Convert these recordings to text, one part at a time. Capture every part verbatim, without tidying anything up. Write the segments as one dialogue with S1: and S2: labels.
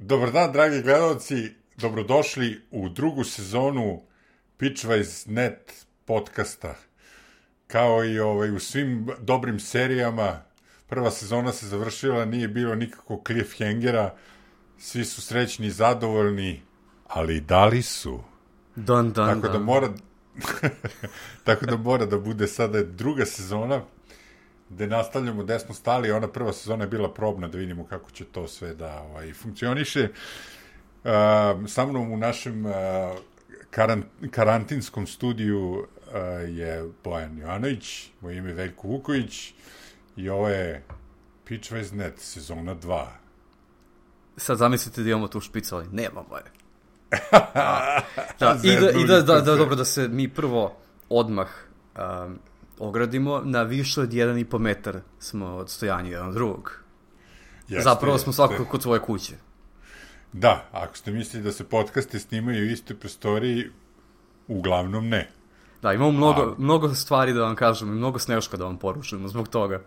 S1: Dobar dan, dragi gledalci, dobrodošli u drugu sezonu Pitchwise dot net podcasta. Kao i ovaj, u svim dobrim serijama, prva sezona se završila, nije bilo nikakvog cliffhangera, svi su srećni i zadovoljni, ali da li su?
S2: Dan, dan,
S1: Tako
S2: dan.
S1: da mora, tako da mora da bude sada druga sezona, gde nastavljamo gde smo stali. Ona prva sezona je bila probna da vidimo kako će to sve da ovaj, funkcioniše. Uh, sa mnom u našem uh, karan, karantinskom studiju uh, je Bojan Jovanović, moje ime je Veljko Vuković i ovo je Pitchwise dot net sezona dva.
S2: Sad zamislite da imamo tu špicu, ali nemamo je. da, I, da, i da, da, da, dobro, da se mi prvo odmah um, ogradimo, na više od jedan i po metar smo od stojanja jedan drugog. Jeste, Zapravo smo svako kod svoje kuće.
S1: Da, ako ste mislili da se podcaste snimaju u istoj prostoriji, uglavnom ne.
S2: Da, imamo mnogo, A... mnogo stvari da vam kažemo i mnogo sneška da vam poručujemo zbog toga.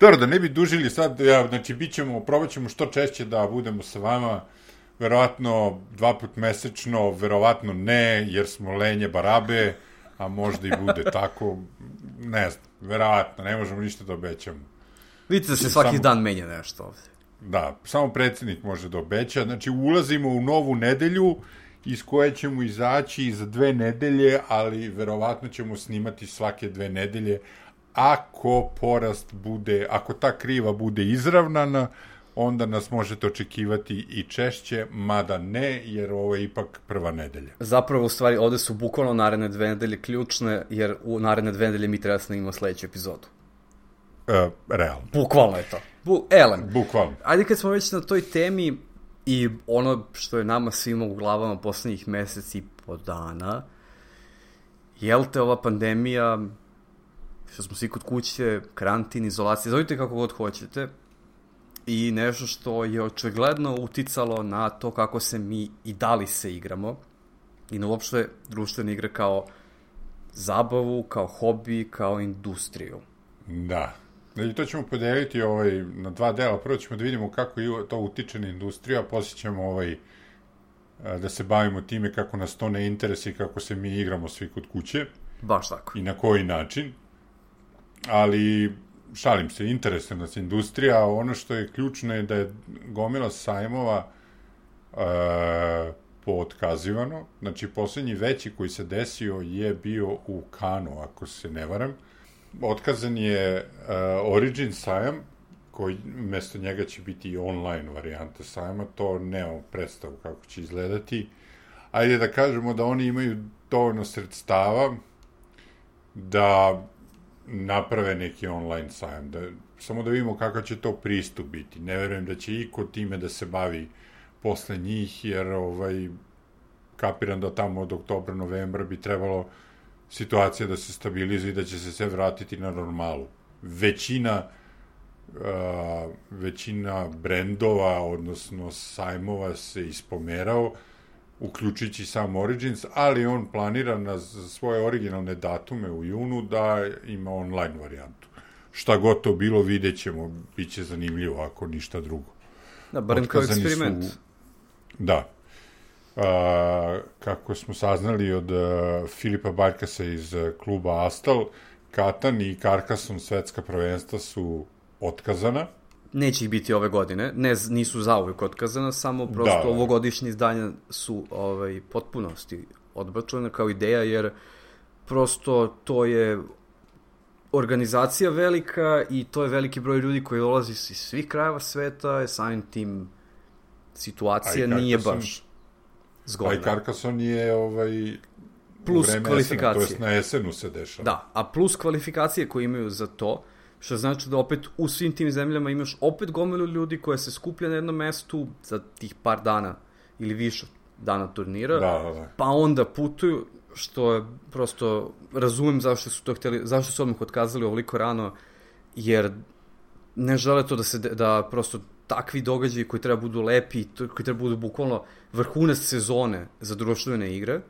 S1: Dobro, da ne bi dužili sad, ja, znači, bit ćemo, probat ćemo što češće da budemo sa vama, verovatno dva put mesečno, verovatno ne, jer smo lenje barabe, a možda i bude tako, ne znam, verovatno, ne možemo ništa da obećamo.
S2: Vidite da se svaki samo, dan menja nešto ovdje.
S1: Da, samo predsjednik može da obeća, znači ulazimo u novu nedelju, iz koje ćemo izaći za dve nedelje, ali verovatno ćemo snimati svake dve nedelje, ako porast bude, ako ta kriva bude izravnana, onda nas možete očekivati i češće, mada ne, jer ovo je ipak prva nedelja.
S2: Zapravo, u stvari, ovde su bukvalno naredne dve nedelje ključne, jer u naredne dve nedelje mi treba da snimimo sledeću epizodu.
S1: E, realno.
S2: Bukvalno je to. Bu, elem.
S1: Bukvalno.
S2: Ajde, kad smo već na toj temi i ono što je nama svima u glavama poslednjih meseci i po dana, jel te ova pandemija, što smo svi kod kuće, karantin, izolacija, zovite kako god hoćete, i nešto što je očigledno uticalo na to kako se mi i da li se igramo i na uopšte društvene igre kao zabavu, kao hobi, kao industriju.
S1: Da. I to ćemo podeliti ovaj, na dva dela. Prvo ćemo da vidimo kako to utiče na industriju, a poslije ćemo ovaj, da se bavimo time kako nas to ne interesi i kako se mi igramo svi kod kuće.
S2: Baš tako.
S1: I na koji način. Ali šalim se, interesuje nas industrija, ono što je ključno je da je gomila sajmova e, pootkazivano. Znači, poslednji veći koji se desio je bio u Kanu, ako se ne varam. Otkazan je e, Origin sajam, koji mesto njega će biti online varijanta sajma, to nemamo predstavu kako će izgledati. Ajde da kažemo da oni imaju dovoljno sredstava da naprave neki online sajam, da, samo da vidimo kakav će to pristup biti. Ne verujem da će iko time da se bavi posle njih, jer ovaj, kapiram da tamo od oktobra, novembra bi trebalo situacija da se stabilizuje i da će se sve vratiti na normalu. Većina uh, većina brendova, odnosno sajmova se ispomerao, uključujući sam Origins, ali on planira na svoje originalne datume u junu da ima online varijantu. Šta god to bilo, vidjet ćemo, bit će zanimljivo ako ništa drugo.
S2: Da, barem kao eksperiment. Su,
S1: da. A, kako smo saznali od a, Filipa Barkasa iz a, kluba Astal, Katan i Carcassonne svetska prvenstva su otkazana.
S2: Neće ih biti ove godine, ne, nisu zauvijek otkazana, samo prosto da, ovogodišnje izdanja su ovaj, potpunosti odbačene kao ideja, jer prosto to je organizacija velika i to je veliki broj ljudi koji dolazi iz svih krajeva sveta, samim tim situacija nije baš zgodna.
S1: A i Carcassonne je ovaj,
S2: plus
S1: u vreme
S2: kvalifikacije.
S1: Esena, to je na esenu se dešava.
S2: Da, a plus kvalifikacije koje imaju za to, što znači da opet u svim tim zemljama imaš opet gomilu ljudi koja se skuplja na jednom mestu za tih par dana ili više dana turnira,
S1: da, da, da. Pa
S2: onda putuju, što je prosto, razumem zašto su to htjeli, zašto su odmah otkazali ovoliko rano, jer ne žele to da se, da prosto takvi događaji koji treba budu lepi, koji treba budu bukvalno vrhunac sezone za društvene igre,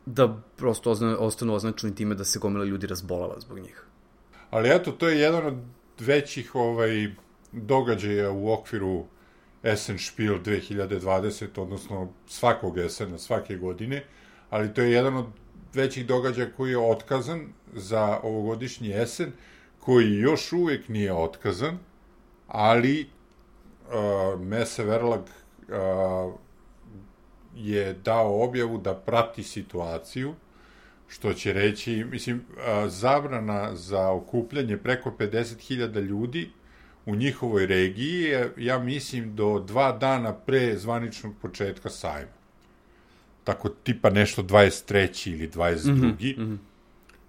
S2: da prosto ostanu označeni time da se gomila ljudi razbolala zbog njih.
S1: Ali eto, to je jedan od većih ovaj, događaja u okviru Essen Spiel dve hiljade dvadesete, odnosno svakog Essena, svake godine, ali to je jedan od većih događaja koji je otkazan za ovogodišnji Essen, koji još uvek nije otkazan, ali uh, Messe Verlag uh, je dao objavu da prati situaciju, što će reći, mislim, uh, zabrana za okupljanje preko pedeset hiljada ljudi u njihovoj regiji je, ja mislim, do dva dana pre zvaničnog početka sajma. Tako tipa nešto dvadeset treći ili dvadeset drugi Mm-hmm.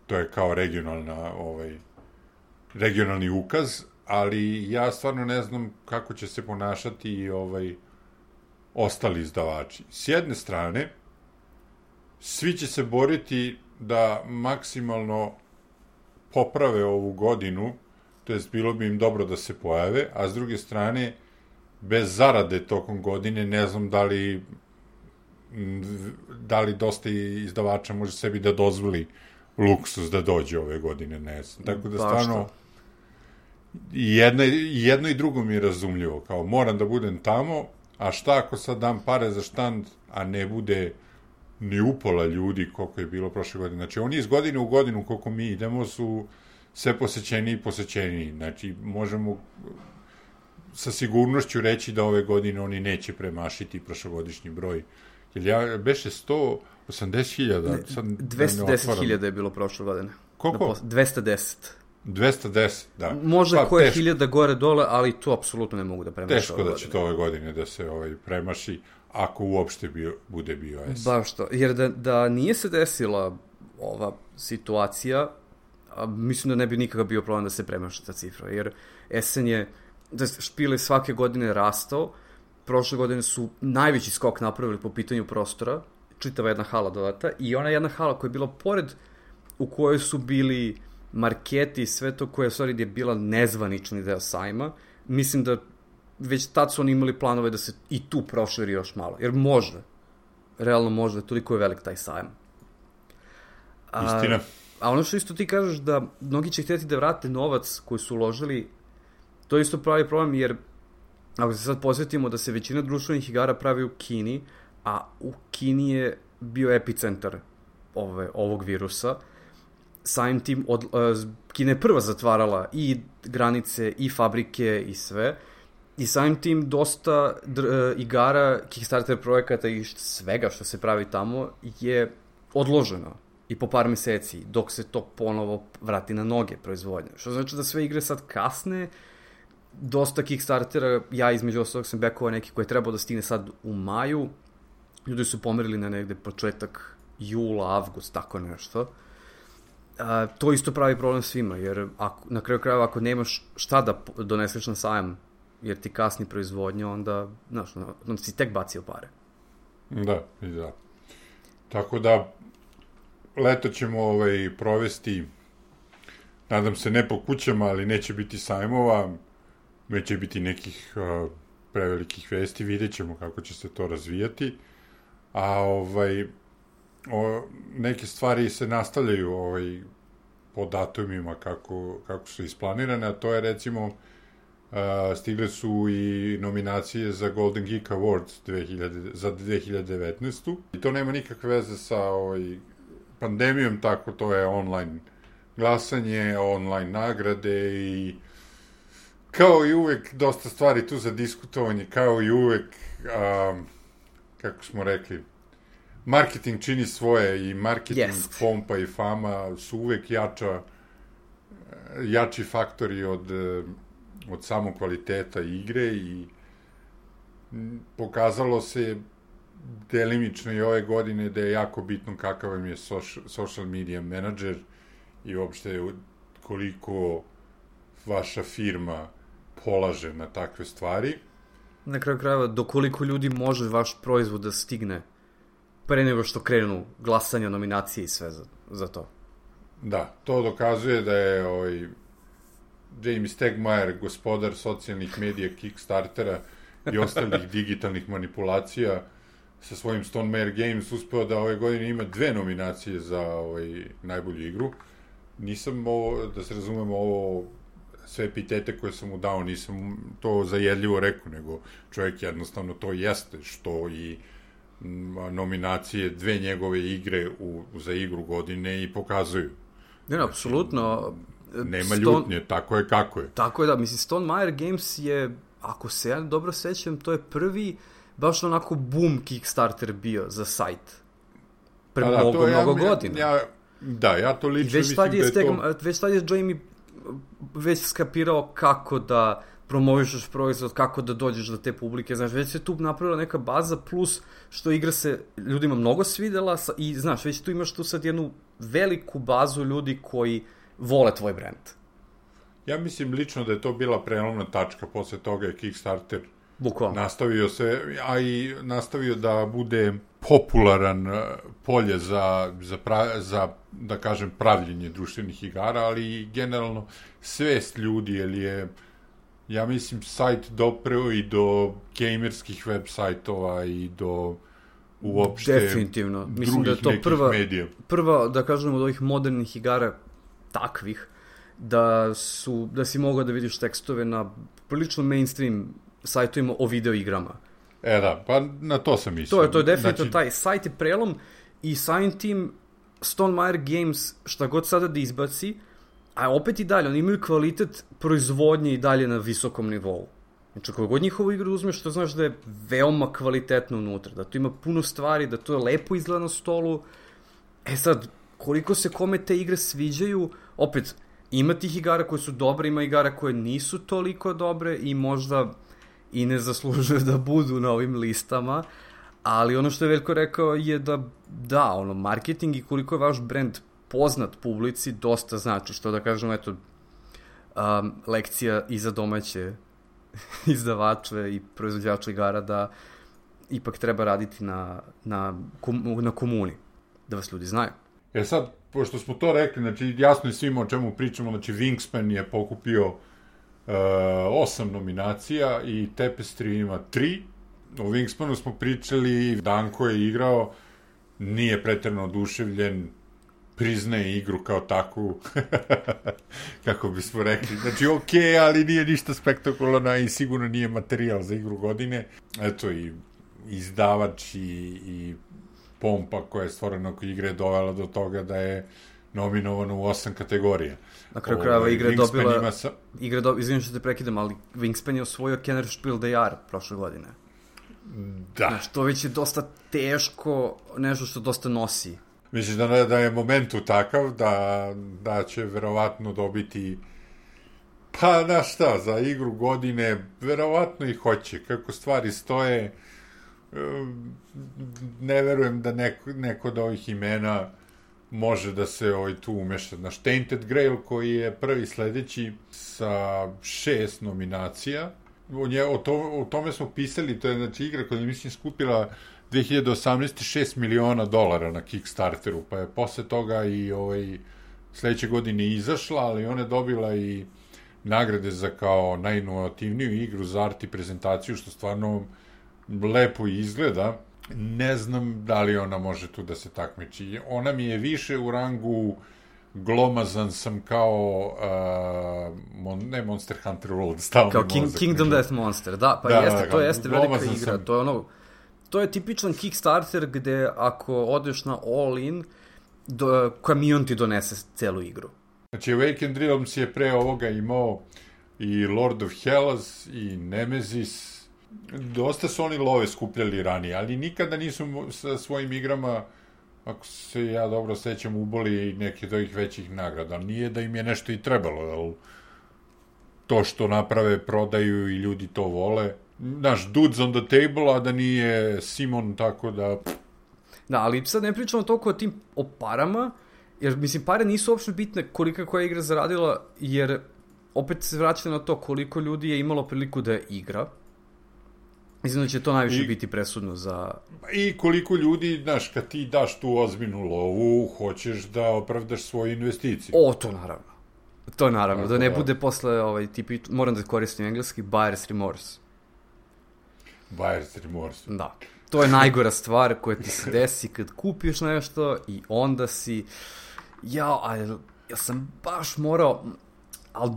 S1: To je kao regionalna, ovaj, regionalni ukaz, ali ja stvarno ne znam kako će se ponašati i ovaj, ostali izdavači. S jedne strane, svi će se boriti da maksimalno poprave ovu godinu, to jest bilo bi im dobro da se pojave, a s druge strane, bez zarade tokom godine, ne znam da li da li dosta izdavača može sebi da dozvoli luksus da dođe ove godine, ne znam. Tako da stvarno i jedno, jedno i drugo mi je razumljivo, kao moram da budem tamo, a šta ako sad dam pare za štand, a ne bude ni upola ljudi koliko je bilo prošle godine. Znači, oni iz godine u godinu koliko mi idemo su sve posećeniji i posećeniji. Znači, možemo sa sigurnošću reći da ove godine oni neće premašiti prošlogodišnji broj. Jer ja, beše sto osamdeset hiljada.
S2: dvesta deset hiljada je bilo prošle godine.
S1: Koliko?
S2: dvesta deset.
S1: dvesta deset, da.
S2: Možda pa, koje hiljada gore dole, ali to apsolutno ne mogu da premaši.
S1: Teško da će to ove godine da se ovaj, premaši, ako uopšte bio, bude bio es.
S2: Baš to, jer da, da nije se desila ova situacija, a, mislim da ne bi nikada bio problem da se premaši ta cifra, jer Essen je, da Špil je svake godine rastao, prošle godine su najveći skok napravili po pitanju prostora, čitava jedna hala dodata, i ona jedna hala koja je bila pored, u kojoj su bili marketi i sve to, koja je stvari je bila nezvanični deo sajma, mislim da već tad su oni imali planove da se i tu proširi još malo, jer može, realno može, toliko je velik taj sajam. A,
S1: Istina.
S2: A ono što isto ti kažeš da mnogi će htjeti da vrate novac koji su uložili, to je isto pravi problem, jer ako se sad posvetimo da se većina društvenih igara pravi u Kini, a u Kini je bio epicentar ove, ovog virusa, samim tim od, uh, Kina je prva zatvarala i granice, i fabrike, i sve, i samim tim dosta dr, uh, igara, Kickstarter projekata i svega što se pravi tamo je odloženo i po par meseci, dok se to ponovo vrati na noge proizvodnje. Što znači da sve igre sad kasne, dosta Kickstartera, ja između ostalog sam bekovao neki koji je trebao da stigne sad u maju, ljudi su pomerili na negde početak jula, avgust, tako nešto. A, to isto pravi problem svima, jer ako, na kraju krajeva ako nemaš šta da doneseš na sajam, jer ti kasni proizvodnja, onda, znaš, onda si tek bacio pare.
S1: Da, i da. Tako da, leto ćemo ovaj, provesti, nadam se ne po kućama, ali neće biti sajmova, neće biti nekih uh, prevelikih vesti, vidjet ćemo kako će se to razvijati, a ovaj, o, neke stvari se nastavljaju ovaj, po datumima kako, kako su isplanirane, a to je recimo uh, stigle su i nominacije za Golden Geek Awards dve hiljade, za dve hiljade devetnaestu i to nema nikakve veze sa ovaj, pandemijom, tako to je online glasanje, online nagrade i kao i uvek dosta stvari tu za diskutovanje, kao i uvek um, kako smo rekli, marketing čini svoje i marketing, yes. Pompa i fama su uvek jača, jači faktori od, od samog kvaliteta igre i pokazalo se delimično i ove godine da je jako bitno kakav vam je social media manager i uopšte koliko vaša firma polaže na takve stvari.
S2: Na kraju krajeva, do koliko ljudi može vaš proizvod da stigne pre nego što krenu glasanje, nominacije i sve za, za to.
S1: Da, to dokazuje da je ovaj, Jamie Stegmaier, gospodar socijalnih medija, Kickstartera i ostalih digitalnih manipulacija sa svojim Stone Meyer Games uspeo da ove godine ima dve nominacije za ovaj, najbolju igru. Nisam ovo, da se razumemo, ovo sve epitete koje sam mu dao, nisam to zajedljivo rekao, nego čovjek jednostavno to jeste, što i nominacije dve njegove igre u, za igru godine i pokazuju.
S2: Ne, znači, apsolutno.
S1: Nema Stone, ljutnje, tako je kako je.
S2: Tako je, da. Mislim, Stonemaier Games je, ako se ja dobro sećam, to je prvi baš onako boom Kickstarter bio za sajt. Pre da, mnogo, to mnogo ja, godina.
S1: Ja, da, ja to lično mislim da je
S2: stegam,
S1: to...
S2: Već tad je Jamie već skapirao kako da promovišeš proizvod, kako da dođeš do te publike, znaš, već se tu napravila neka baza, plus što igra se ljudima mnogo svidela i, znaš, već tu imaš tu sad jednu veliku bazu ljudi koji vole tvoj brand.
S1: Ja mislim lično da je to bila prelomna tačka, posle toga je Kickstarter
S2: Bukvalno.
S1: nastavio se, a i nastavio da bude popularan polje za, za, pra, za da kažem, pravljenje društvenih igara, ali i generalno svest ljudi, jer je, ja mislim, sajt dopreo i do gamerskih web sajtova i do uopšte
S2: definitivno. Mislim da je to prva,
S1: medija.
S2: prva, da kažem, od ovih modernih igara takvih, da su, da si mogao da vidiš tekstove na prilično mainstream sajtovima o video igrama.
S1: E da, pa na to sam mislio.
S2: To je, to je definitivno znači... taj sajt je prelom i samim tim Stonemaier Games šta god sada da izbaci, a opet i dalje, oni imaju kvalitet proizvodnje i dalje na visokom nivou. Znači, kako god njihovu igru uzmeš, to znaš da je veoma kvalitetno unutra, da tu ima puno stvari, da to je lepo izgleda na stolu. E sad, koliko se kome te igre sviđaju, opet, ima tih igara koje su dobre, ima igara koje nisu toliko dobre i možda i ne zaslužuju da budu na ovim listama, ali ono što je Veljko rekao je da, da, ono, marketing i koliko je vaš brand poznat publici dosta znači, što da kažem, eto, um, lekcija i za domaće izdavače i proizvođače igara da ipak treba raditi na, na, na komuni, da vas ljudi znaju.
S1: E sad, pošto smo to rekli, znači jasno je svima o čemu pričamo, znači Wingspan je pokupio Uh, osam nominacija i Tapestry ima tri. O Wingspanu smo pričali, Danko je igrao, nije pretjerano oduševljen, priznaje igru kao takvu, kako bismo rekli. Znači, okej, okay, ali nije ništa spektakularno i sigurno nije materijal za igru godine. Eto, i izdavač i, i pompa koja je stvorena oko igre dovela do toga da je nominovano u osam kategorija.
S2: Na kraju krajeva igra dobila... Sa... Igra do... Izvinim što te prekidam, ali Wingspan je osvojio Kenner Spiel des Jahres prošle godine.
S1: Da.
S2: Znači, to već je dosta teško, nešto što dosta nosi.
S1: Misliš da, da je momentu takav, da, da će verovatno dobiti, pa na šta, za igru godine, verovatno i hoće. Kako stvari stoje, ne verujem da neko, neko od ovih imena može da se ovaj tu umeša. Naš Tainted Grail, koji je prvi sledeći sa šest nominacija. O, nje, o, to, o tome smo pisali, to je znači igra koja je, mislim, skupila dve hiljade osamnaeste. šest miliona dolara na Kickstarteru, pa je posle toga i ovaj, sledeće godine izašla, ali ona je dobila i nagrade za kao najinovativniju igru za art i prezentaciju, što stvarno lepo izgleda. Ne znam da li ona može tu da se takmiči. Ona mi je više u rangu glomazan sam kao uh, mon, ne Monster Hunter World, stavno
S2: kao King, Kingdom Death Monster, da, pa da, jeste, da, to jeste velika igra, sam... to je ono, to je tipičan Kickstarter gde ako odeš na all in, do, kamion ti donese celu igru.
S1: Znači, Awakened Realms je pre ovoga imao i Lord of Hellas i Nemesis. Dosta su oni love skupljali ranije, ali nikada nisu sa svojim igrama, ako se ja dobro sećam, uboli neke od ovih većih nagrada. Nije da im je nešto i trebalo, ali to što naprave, prodaju i ljudi to vole. Naš dudes on the table, a da nije Simon, tako da...
S2: Da, ali sad ne pričamo toliko o tim o parama, jer, mislim, pare nisu uopšte bitne kolika koja igra zaradila, jer opet se vraća na to koliko ljudi je imalo priliku da igra. Mislim da će to najviše I, biti presudno za...
S1: I koliko ljudi, znaš, kad ti daš tu ozbiljnu lovu, hoćeš da opravdaš svoje investicije.
S2: O, to naravno. To naravno, tako da ne da. Bude posle ovaj tipi, moram da koristim engleski, buyer's remorse.
S1: Buyer's remorse.
S2: Da. To je najgora stvar koja ti se desi kad kupiš nešto i onda si... Ja, ali, ja sam baš morao... Ali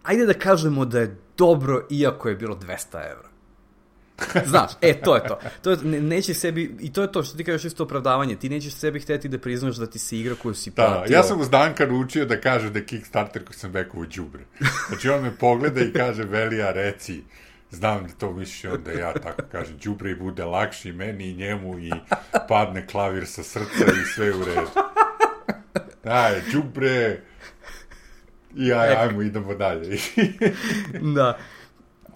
S2: ajde da kažemo da je dobro, iako je bilo dvesta evra. Znaš, e, to je to. to je, ne, neće sebi, i to je to što ti kažeš isto opravdavanje, ti nećeš sebi hteti da priznaš da ti se igra koju si platio.
S1: Da, ja sam uz Danka naučio da kaže da je Kickstarter koji sam vekovo đubre. Znači on me pogleda i kaže, Velija, reci, znam da to misliš onda ja tako kažem, đubre i bude lakši meni i njemu i padne klavir sa srca i sve u redu. Aj, đubre, i aj, ajmo, idemo dalje.
S2: Da.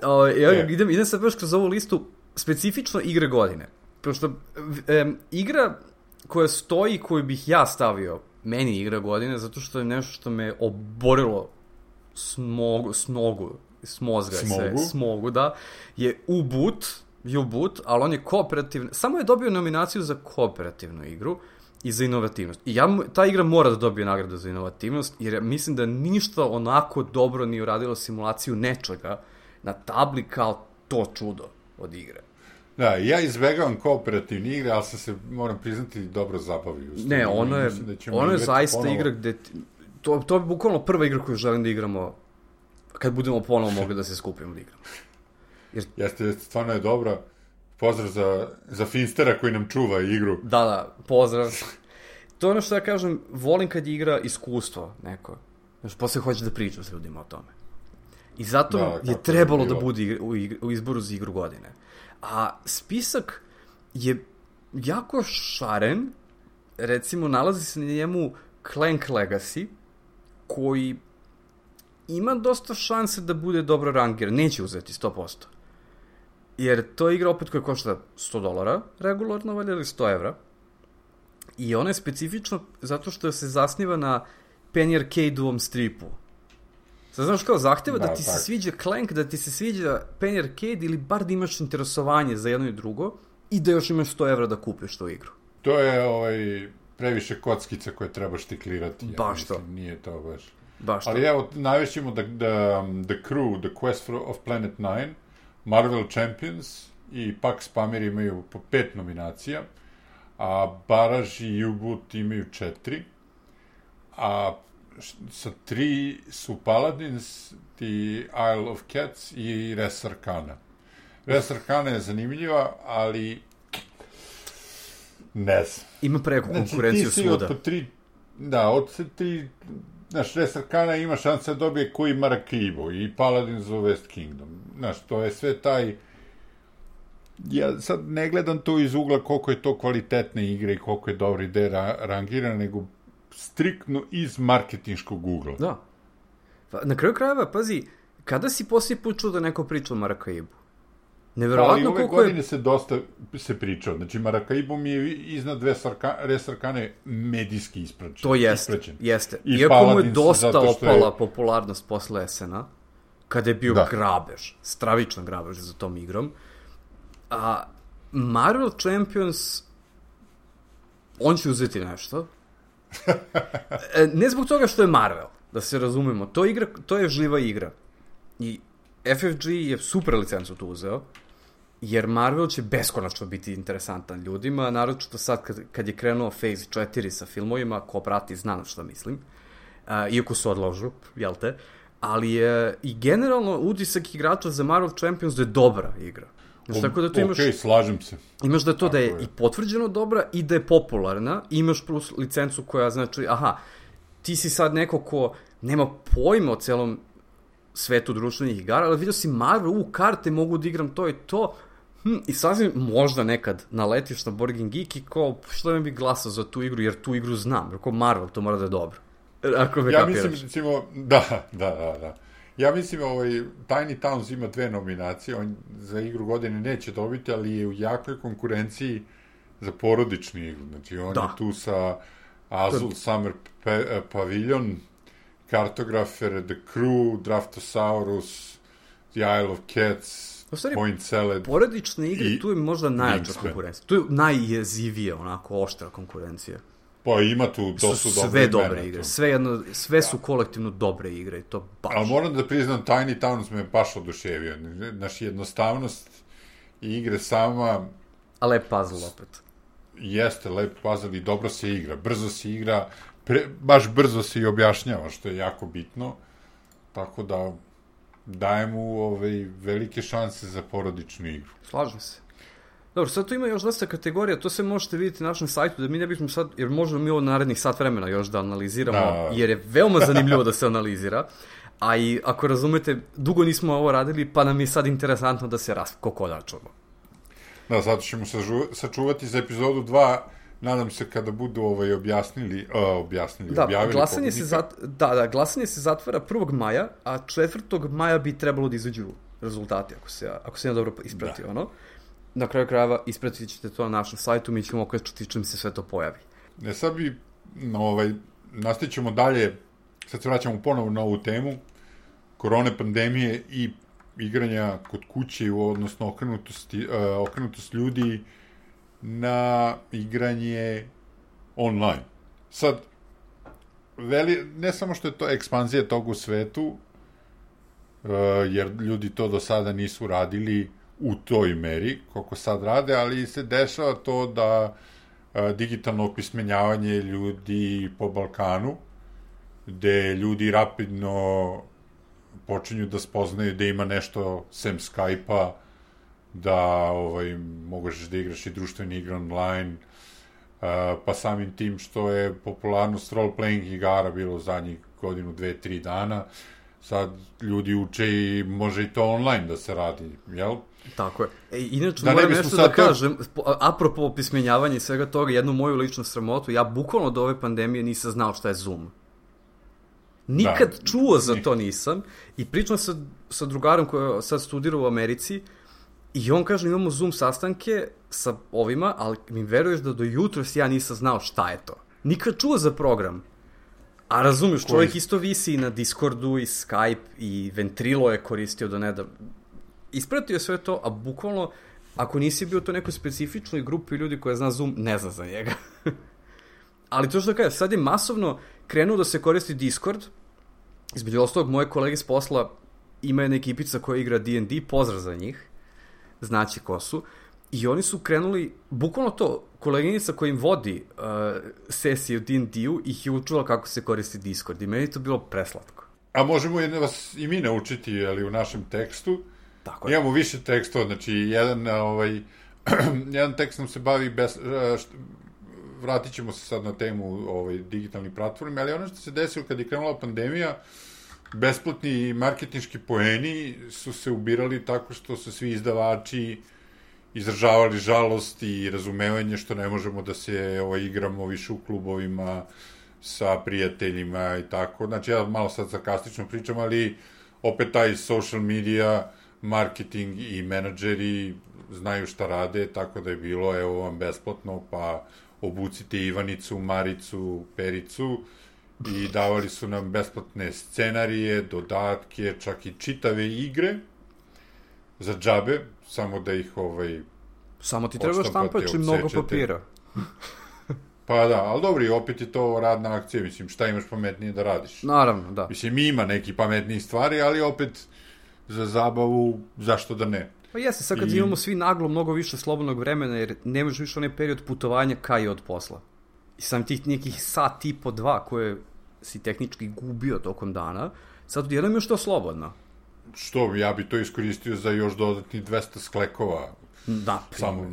S2: O, ja e. idem, idem sad baš kroz ovu listu specifično igre godine. Pošto e, igra koja stoji, koju bih ja stavio meni igra godine, zato što je nešto što me oborilo smogu, snogu, s mozga,
S1: smogu.
S2: Sve, smogu, da, je U-Boot, U-Boot, ali on je kooperativni, samo je dobio nominaciju za kooperativnu igru i za inovativnost. I ja, ta igra mora da dobije nagradu za inovativnost, jer mislim da ništa onako dobro nije uradilo simulaciju nečega na tabli kao to čudo od igre.
S1: Da, ja izbegavam kooperativne igre, ali sam se, moram priznati, dobro zabavio.
S2: Ne, ono je, da ono je zaista ponovo igra gde... Ti, to, to je bukvalno prva igra koju želim da igramo kad budemo ponovo mogli da se skupimo da igramo.
S1: Jer... Jeste, stvarno je dobro. Pozdrav za, za Finstera koji nam čuva igru.
S2: Da, da, pozdrav. To je ono što ja kažem, volim kad igra iskustvo neko. Znaš, posle hoće da pričam s ljudima o tome. I zato da, je trebalo je da bude u, igri, u izboru za igru godine. A spisak je jako šaren, recimo nalazi se na njemu Clank Legacy, koji ima dosta šanse da bude dobro rangiran, neće uzeti sto posto. Jer to je igra opet koja košta sto dolara, regularno valja ili sto evra. I ona je specifično zato što se zasniva na Penny Arcade-ovom stripu. Sad znaš kao zahteva da, da ti tak. se sviđa Clank, da ti se sviđa Penny Arcade ili bar da imaš interesovanje za jedno i drugo i da još imaš sto evra da kupiš tu igru.
S1: To je ovaj, previše kockice koje trebaš tiklirati.
S2: Baš to.
S1: Mislim, nije to baš.
S2: Baš to.
S1: Ali evo, navešćemo da, da The Crew, The Quest for, of Planet Nine, Marvel Champions i Pax Pamir imaju po pet nominacija, a Baraž i U-Boot imaju četiri, a sa tri su Paladins, The Isle of Cats i Res Arcana. Res Arcana je zanimljiva, ali ne znam.
S2: Ima preko konkurenciju
S1: znači,
S2: svuda.
S1: Od tri, da, od tri, znaš, Res Arcana ima šanse da dobije koji Maracaibo i Paladins of West Kingdom. Znaš, to je sve taj... Ja sad ne gledam to iz ugla koliko je to kvalitetne igre i koliko je dobra ideja rangirana, nego striktno iz marketinškog ugla.
S2: Da. Na kraju krajeva, pazi, kada si poslije put čuo da neko priča o Maracaibu? Neverovatno
S1: ali ove
S2: koliko
S1: godine
S2: je...
S1: se dosta se pričao. Znači, Maracaibo mi je iznad dve sarka, Res Arcane medijski ispraćen.
S2: To jeste,
S1: ispraćen.
S2: jeste.
S1: I
S2: iako
S1: Paladins,
S2: mu je dosta opala
S1: je...
S2: popularnost posle esena, kada je bio da. grabež, stravičan grabež za tom igrom, a Marvel Champions on će uzeti nešto. Ne zbog toga što je Marvel, da se razumemo. To, igra, to je živa igra. I F F G je super licencu tu uzeo, jer Marvel će beskonačno biti interesantan ljudima, naročito sad kad, kad je krenuo Phase četiri sa filmovima, ko prati zna što mislim, uh, iako se odložu, jel te? Ali je i generalno utisak igrača za Marvel Champions da je dobra igra. Znači, tako da tu imaš,
S1: ok, slažem se.
S2: Imaš da je to tako da je, je i potvrđeno dobra i da je popularna, imaš plus licencu koja znači, aha, ti si sad neko ko nema pojma o celom svetu društvenih igara, ali vidio si Marvel, u karte mogu da igram to i to, hm, i sasvim možda nekad naletiš na Board Game Geek i kao, što ne bih glasao za tu igru, jer tu igru znam, jer kao Marvel, to mora da je dobro. Ako me
S1: ja
S2: kapiraš.
S1: mislim, recimo, da, da, da, da. Ja mislim, ovaj, Tiny Towns ima dve nominacije, on za igru godine neće dobiti, ali je u jakoj konkurenciji za porodičnu igru. Znači, on da. je tu sa Azul Summer Pe- Pavilion, Cartographer, The Crew, Draftosaurus, The Isle of Cats, stvari, Point Salad.
S2: Porodične igre, tu je možda najjača konkurencija. Tu je najjezivija, onako, oštra konkurencija.
S1: Pa ima tu, to su, su
S2: sve dobre imena, igre, sve, jedno, sve su kolektivno dobre igre, to baš.
S1: Ali moram da priznam, Tiny Towns me baš oduševio. Naš jednostavnost i igre sama...
S2: A lep puzzle opet.
S1: Jeste, lep puzzle i dobro se igra, brzo se igra, pre, baš brzo se i objašnjava, što je jako bitno. Tako da, daje mu ovaj, velike šanse za porodičnu igru.
S2: Slažem se. Dobro, sad tu ima još dosta kategorija, to sve možete vidjeti na našem sajtu, da mi ne bismo sad, jer možemo mi ovo narednih sat vremena još da analiziramo, da. Jer je veoma zanimljivo da se analizira, a i ako razumete, dugo nismo ovo radili, pa nam je sad interesantno da se raskokodačamo.
S1: Da, zato ćemo sačuvati za epizodu dva, nadam se kada budu ovaj objasnili, uh, objasnili,
S2: da,
S1: objavili
S2: glasanje se zat, da, da, glasanje se zatvara prvog maja, a četvrtog maja bi trebalo da izađu rezultati, ako se, ako se ja dobro ispratio, da. Ono. Na kraju krajeva ispratit ćete to na našem sajtu, mi ćemo okačati čim se sve to pojavi.
S1: Ne, sad bi, no, ovaj, nastavit ćemo dalje, sad se vraćamo ponovo na ovu temu, korone, pandemije i igranja kod kuće, odnosno okrenutosti, uh, okrenutost ljudi na igranje online. Sad, veli, ne samo što je to ekspanzija tog u svetu, uh, jer ljudi to do sada nisu radili u toj meri, koliko sad rade, ali se dešava to da a, digitalno opismenjavanje ljudi po Balkanu, gde ljudi rapidno počinju da spoznaju da ima nešto sem Skype-a, da ovaj, možeš da igraš i društveni igre online, a, pa samim tim što je popularnost role-playing igara bilo u zadnjih godinu, dve, tri dana, sad ljudi uče i može i to online da se radi, jel?
S2: Tako je. E, inače, da moram nešto da kažem, to... apropo opismenjavanja i svega toga, jednu moju ličnu sramotu, ja bukvalno do ove pandemije nisam znao šta je Zoom. Nikad da, čuo za to nisam i pričam sa, sa drugarom koji sad studira u Americi i on kaže imamo Zoom sastanke sa ovima, ali mi veruješ da do jutros ja nisam znao šta je to. Nikad čuo za program. A razumiješ, čovjek isto visi i na Discordu i Skype i Ventrilo je koristio do nedavno. Ispratio je sve to, a bukvalno, ako nisi bio to nekoj specifičnoj grupi ljudi koja zna Zoom, ne zna za njega. Ali to što kaže, sad je masovno krenuo da se koristi Discord. Između ostalog, moje kolege s posla ima jedna ekipica koja igra D and D, pozdrav za njih, znači ko su. I oni su krenuli, bukvalno to, koleginica koja im vodi uh, sesiju u D and D-u ih je učila kako se koristi Discord i meni je to bilo preslatko.
S1: A možemo jedne vas i mi naučiti, ali u našem tekstu.
S2: Tako je.
S1: Imamo više tekstova, znači jedan, ovaj, jedan tekst nam se bavi, bez, št, vratit ćemo se sad na temu ovaj, digitalnih platformi, ali ono što se desilo kad je krenula pandemija, besplatni marketinški poeni su se ubirali tako što su svi izdavači izražavali žalost i razumevanje što ne možemo da se ovaj, igramo više u klubovima sa prijateljima i tako. Znači, ja malo sad sarkastično pričam, ali opet taj social media, marketing i menadžeri znaju šta rade, tako da je bilo, evo vam besplatno, pa obucite Ivanicu, Maricu, Pericu i davali su nam besplatne scenarije, dodatke, čak i čitave igre za džabe, samo da ih ovaj...
S2: Samo ti treba štampač i mnogo papira.
S1: Pa da, ali dobro, opet je to radna akcija, mislim, šta imaš pametnije da radiš?
S2: Naravno, da.
S1: Mislim, ima neki pametniji stvari, ali opet za zabavu, zašto da ne?
S2: Pa jeste, sad kad I... imamo svi naglo mnogo više slobodnog vremena, jer nemaš više onaj period putovanja ka i od posla. I sam tih nekih sat i po dva koje si tehnički gubio tokom dana, sad odjednom još to slobodno.
S1: Što, ja bi to iskoristio za još dodatnih dvesta sklekova.
S2: Na
S1: samo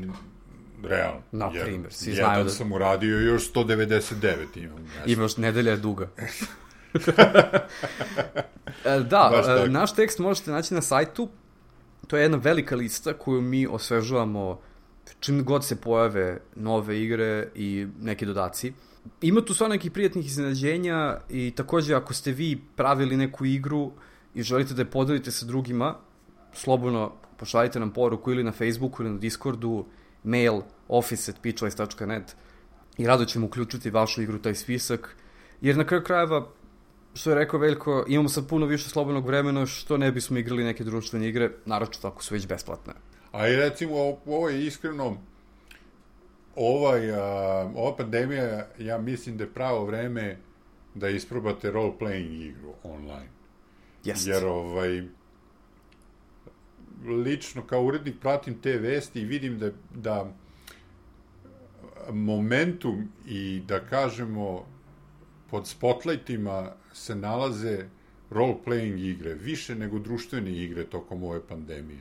S1: realno.
S2: Na primjer,
S1: svi znaju da... Jedan sam uradio još sto devedeset devet imam. Nešto.
S2: Imaš, nedelja je duga. Da, naš tekst možete naći na sajtu. To je jedna velika lista koju mi osvežavamo čim god se pojave nove igre i neki dodaci. Ima tu sva nekih prijatnih iznenađenja i također ako ste vi pravili neku igru i želite da je podelite sa drugima, slobodno pošaljite nam poruku ili na Facebooku ili na Discordu, mail office at pitchwise dot net i rado ćemo uključiti vašu igru u taj spisak, jer na kraju krajeva, što je rekao Veljko, imamo sad puno više slobodnog vremena, što ne bismo igrali neke društvene igre, naročito ako su već besplatne.
S1: A i recimo, ovo je iskreno, ovaj, a, ova pandemija, ja mislim da je pravo vreme da isprobate role-playing igru online.
S2: Jest.
S1: Jer ovaj, lično kao urednik pratim te vesti i vidim da, da momentum i da kažemo pod spotlightima se nalaze role-playing igre, više nego društvene igre tokom ove pandemije.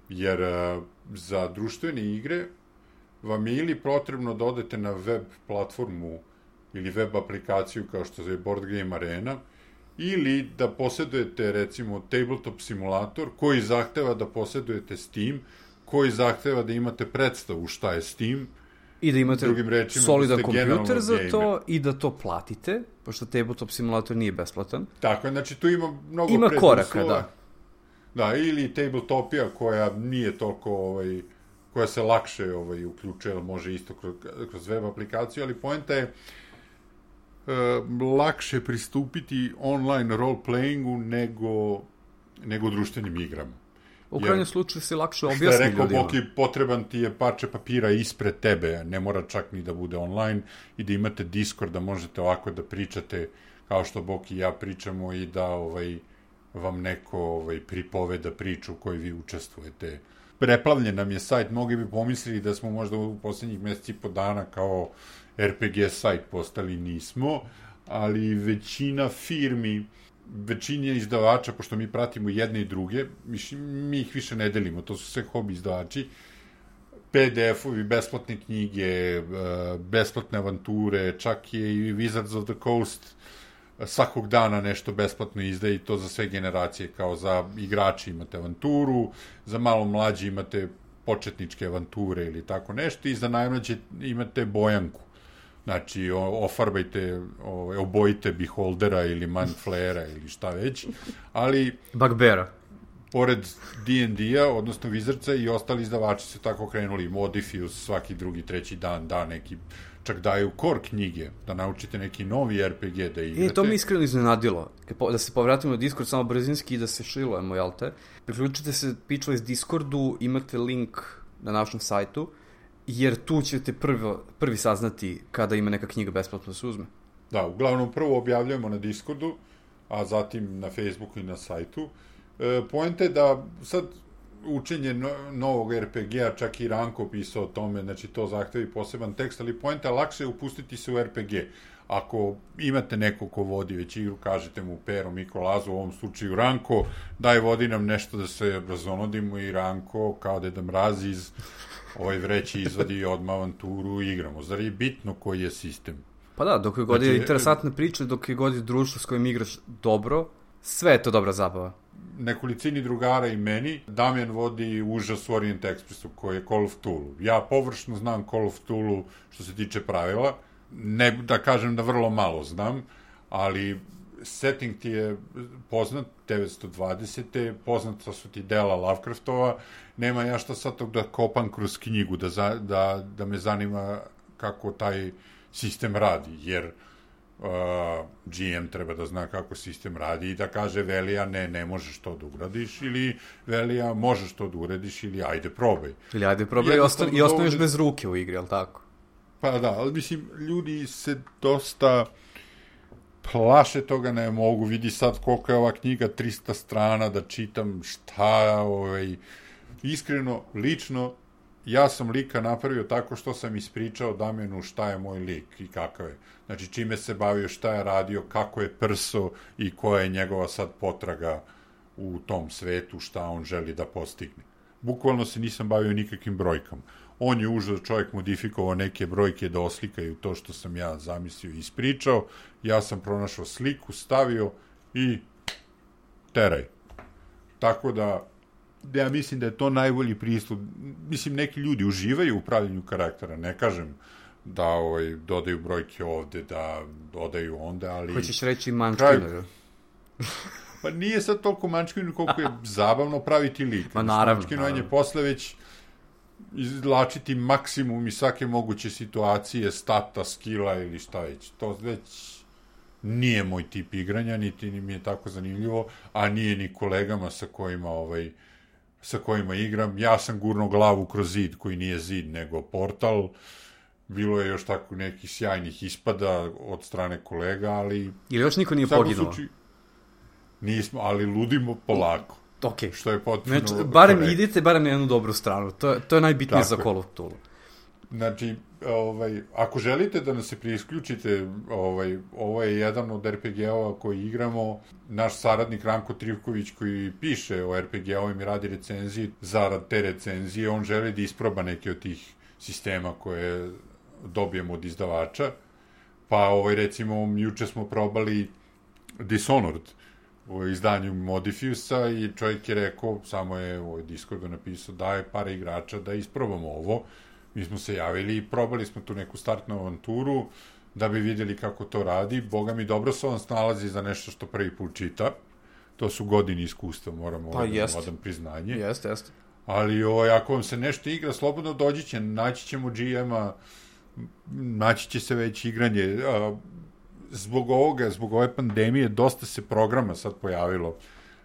S1: Jer uh, za društvene igre vam je ili potrebno da odete na web platformu ili web aplikaciju kao što je Board Game Arena, ili da posjedujete, recimo, tabletop simulator koji zahteva da posjedujete Steam, koji zahteva da imate predstavu šta je Steam,
S2: i da imate
S1: rečima,
S2: solidan
S1: da
S2: kompjuter za
S1: gamer.
S2: to i da to platite, pošto tabletop simulator nije besplatan.
S1: Tako je, znači tu ima mnogo
S2: ima
S1: preduslova.
S2: koraka, da.
S1: Da, ili tabletopija koja nije toliko, ovaj, koja se lakše ovaj, uključuje, može isto kroz, kroz web aplikaciju, ali poenta je e, lakše pristupiti online role-playingu nego, nego društvenim igrama.
S2: U krajnjem slučaju se lakše objasni
S1: ljudima. Što je rekao
S2: ljudima.
S1: Boki, potreban ti je parče papira ispred tebe, ne mora čak ni da bude online, i da imate Discord, da možete ovako da pričate kao što Boki i ja pričamo i da ovaj, vam neko ovaj, pripoveda priču u kojoj vi učestvujete. Preplavljen nam je sajt, mnogi bi pomislili da smo možda u poslednjih meseci i po dana kao er pe ge sajt postali, nismo, ali većina firmi, većina izdavača, pošto mi pratimo jedne i druge, mi ih više ne delimo, to su sve hobi izdavači, pe de efovi, besplatne knjige, besplatne avanture, čak je i Wizards of the Coast svakog dana nešto besplatno izdaje, i to za sve generacije, kao za igrači imate avanturu, za malo mlađi imate početničke avanture ili tako nešto, i za najmlađe imate bojanku. Znači, ofarbajte, obojite Beholdera ili Mind Flayera ili šta već, ali...
S2: Bugbeara.
S1: Pored de and de-a, odnosno Wizardsa, i ostali izdavači su tako krenuli. Modifius svaki drugi, treći dan da neki, čak daju core knjige, da naučite neki novi er pe ge da igrate.
S2: E, to mi iskreno iznenadilo. Da se povratimo na Discord samo brzinski i da se šilujemo, jel te? Priključite se Pitchwise Discordu, imate link na našem sajtu, jer tu ćete prvo, prvi saznati kada ima neka knjiga besplatno da se uzme.
S1: Da, uglavnom prvo objavljujemo na Discordu, a zatim na Facebooku i na sajtu. E, poenta je da sad učenje no, novog er pe ge-a, čak i Ranko pisao o tome, znači to zahtevi poseban tekst, ali poenta je lakše upustiti se u er pe ge. Ako imate neko ko vodi već igru, kažete mu Pero, Miko, Lazo, u ovom slučaju Ranko, daj vodi nam nešto da se razonodimo, i Ranko, kao Deda Mraz iz ovaj vreći izvadi odmah avanturu i igramo. Zar je bitno koji je sistem?
S2: Pa da, dok je god je znači, interesantna priča, dok je god je društvo s kojim igraš dobro, sve je to dobra zabava.
S1: Nekolicini drugara i meni, Damjan vodi užas u Orient Expressu, koji je Call of Cthulhu. Ja površno znam Call of Cthulhu što se tiče pravila, ne da kažem da vrlo malo ali setting ti je poznat, devetsto dvadesete poznata su ti dela Lovecraftova, nema ja šta sad tog da kopam kroz knjigu, da, za, da, da me zanima kako taj sistem radi, jer uh, ge em treba da zna kako sistem radi i da kaže Velija, ne, ne možeš to da uradiš, ili Velija, možeš to da uradiš, ili ajde probaj.
S2: Ili ajde probaj i, ostan, i ostaneš bez ruke u igri, ali tako?
S1: Pa da, ali mislim, ljudi se dosta plaše toga, ne mogu, vidi sad koliko je ova knjiga, trista strana, da čitam šta, ovaj, iskreno, lično, ja sam lika napravio tako što sam ispričao Damjanu šta je moj lik i kakav je. Znači, čime se bavio, šta je radio, kako je prso i koja je njegova sad potraga u tom svetu, šta on želi da postigne. Bukvalno se nisam bavio nikakvim brojkama. On je užao čovjek modifikovao neke brojke da oslikaju to što sam ja zamislio i ispričao. Ja sam pronašao sliku, stavio i teraj. Tako da, ja mislim da je to najbolji pristup. Mislim, neki ljudi uživaju u pravljenju karaktera, ne kažem da ovaj, dodaju brojke ovde, da dodaju onda, ali...
S2: Hoćeš reći mančkinu? Kraj...
S1: Pa nije sad toliko mančkinu koliko je zabavno praviti lik.
S2: Ma naravno.
S1: Mančkinu je posle već izlačiti maksimum iz svake moguće situacije, stata, skilla ili šta već. To već nije moj tip igranja, niti mi je tako zanimljivo, a nije ni kolegama sa kojima ovaj, sa kojima igram. Ja sam gurno glavu kroz zid, koji nije zid, nego portal. Bilo je još tako nekih sjajnih ispada od strane kolega, ali...
S2: Ili još niko nije poginuo?
S1: Nismo, ali ludimo polako.
S2: Okay.
S1: Što je potpuno...
S2: Znači, barem korektno. Idite, barem na jednu dobru stranu. To je, to je najbitnije tako za Call of Cthulhu.
S1: Znači, ovaj, ako želite da nas se priisključite, ovaj, ovo je jedan od er pe ge-ova koji igramo. Naš saradnik Ranko Trivković koji piše o er pe ge-ovim i radi recenzije, zarad te recenzije, on želi da isproba neke od tih sistema koje dobijemo od izdavača. Pa, ovaj, recimo, juče smo probali Dishonored u izdanju Modifiusa i čovjek je rekao, samo je u Discordu napisao, daje pare igrača da isprobamo ovo. Mi smo se javili i probali smo tu neku startnu avanturu da bi vidjeli kako to radi. Boga mi, dobro se on snalazi za nešto što prvi put čita. To su godine iskustva, moramo pa, da odam priznanje.
S2: Jeste, jeste.
S1: Ali o, ako vam se nešto igra, slobodno dođi će, naći ćemo dži ema, naći će se već igranje. Zbog ovoga, zbog ove pandemije, dosta se programa sad pojavilo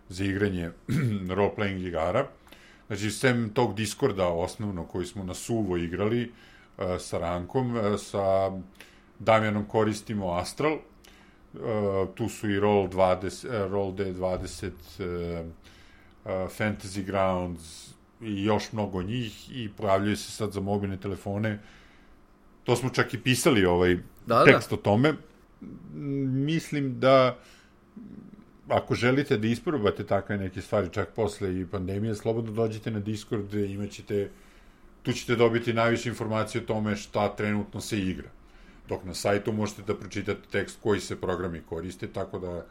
S1: za igranje role-playing igara. Znači, sem tog Discorda osnovno koji smo na suvo igrali uh, sa Rankom, uh, sa Damjanom koristimo Astral, uh, tu su i Roll dvadeset, uh, Roll D dvadeset, uh, uh, Fantasy Grounds i još mnogo njih i pojavljaju se sad za mobilne telefone. To smo čak i pisali ovaj da, tekst da. o tome. Mislim da ako želite da isprobate takve neke stvari čak posle i pandemije, slobodno dođite na Discord, imaćete, tu ćete dobiti najviše informacije o tome šta trenutno se igra. Dok na sajtu možete da pročitate tekst koji se programi koriste, tako da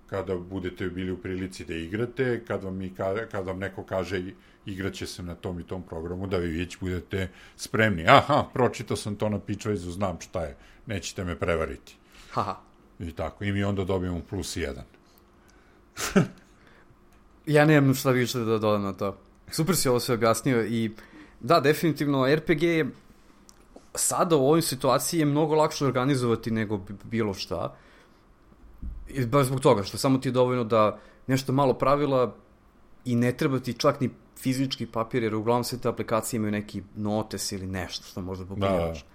S1: kada budete bili u prilici da igrate, kad vam, i, kad vam neko kaže igraće se na tom i tom programu, da vi već budete spremni. Aha, pročitao sam to na Pitchwizu, znam šta je, nećete me prevariti.
S2: Haha.
S1: I tako, i mi onda dobijemo plus jedan.
S2: Ja nemam šta više da dodam na to. Super si ovo sve objasnio i da, definitivno er pe ge sada u ovoj situaciji je mnogo lakše organizovati nego bilo šta. I baš zbog toga što samo ti je dovoljno da nešto malo pravila i ne treba ti čak ni fizički papir, jer uglavnom sve te aplikacije imaju neki notes ili nešto što možda popijavaš. Da.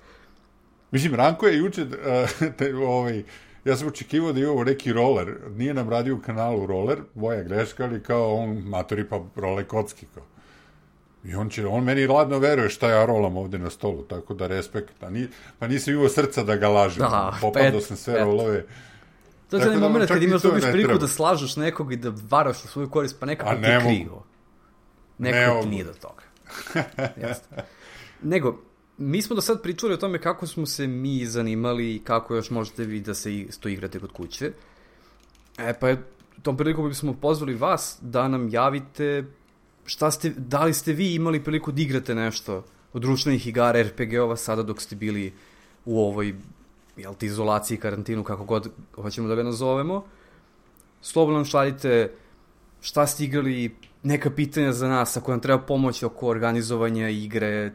S1: Mislim, Ranko je juče uh, te, ovaj, ja sam očekivao da imamo neki roller, nije nam radio u kanalu roller, moja greška, ali kao on matori pa role kocki kao. I on će, on meni ladno veruje šta ja rolam ovde na stolu, tako da respekt, a ni, pa nisam imao srca da ga lažem, da, popadao sam sve pet. rolove.
S2: To je jedan moment kad imaš dobiš priliku da slažeš nekog i da varaš u svoju korist, pa nekako ti je krivo. Nekako ti nije do toga. Jeste. Nego, mi smo do sad pričali o tome kako smo se mi zanimali i kako još možete vi da se to igrate kod kuće. E, pa je, tom priliku bismo pozvali vas da nam javite šta ste, da li ste vi imali priliku da igrate nešto od društvenih igara er pe ge-ova sada dok ste bili u ovoj, jel ti, izolaciji, karantinu, kako god hoćemo da ga nazovemo. Slobodno nam šaljite šta ste igrali, neka pitanja za nas, ako nam treba pomoć oko organizovanja igre,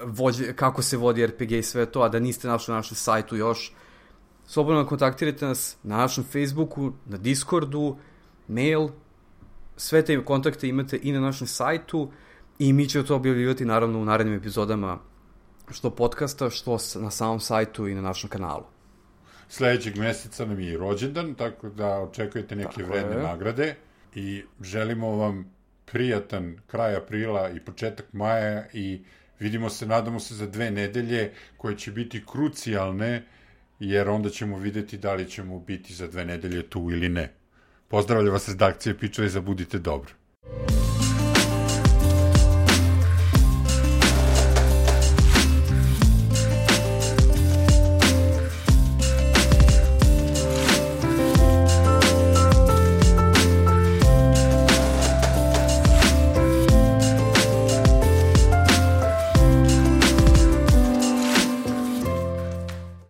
S2: vođe, kako se vodi er pe ge i sve to, a da niste našli na našem sajtu još, slobodno kontaktirajte nas na našem Facebooku, na Discordu, mail, sve te kontakte imate i na našem sajtu i mi ćemo to objavljivati naravno u narednim epizodama što podcasta, što na samom sajtu i na našem kanalu.
S1: Sljedećeg meseca nam je i rođendan, tako da očekujete neke tako vredne je. nagrade i želimo vam prijatan kraj aprila i početak maja i vidimo se, nadamo se, za dve nedelje koje će biti krucijalne, jer onda ćemo videti da li ćemo biti za dve nedelje tu ili ne. Pozdravljam vas redakcije Pitchwiza, budite dobro.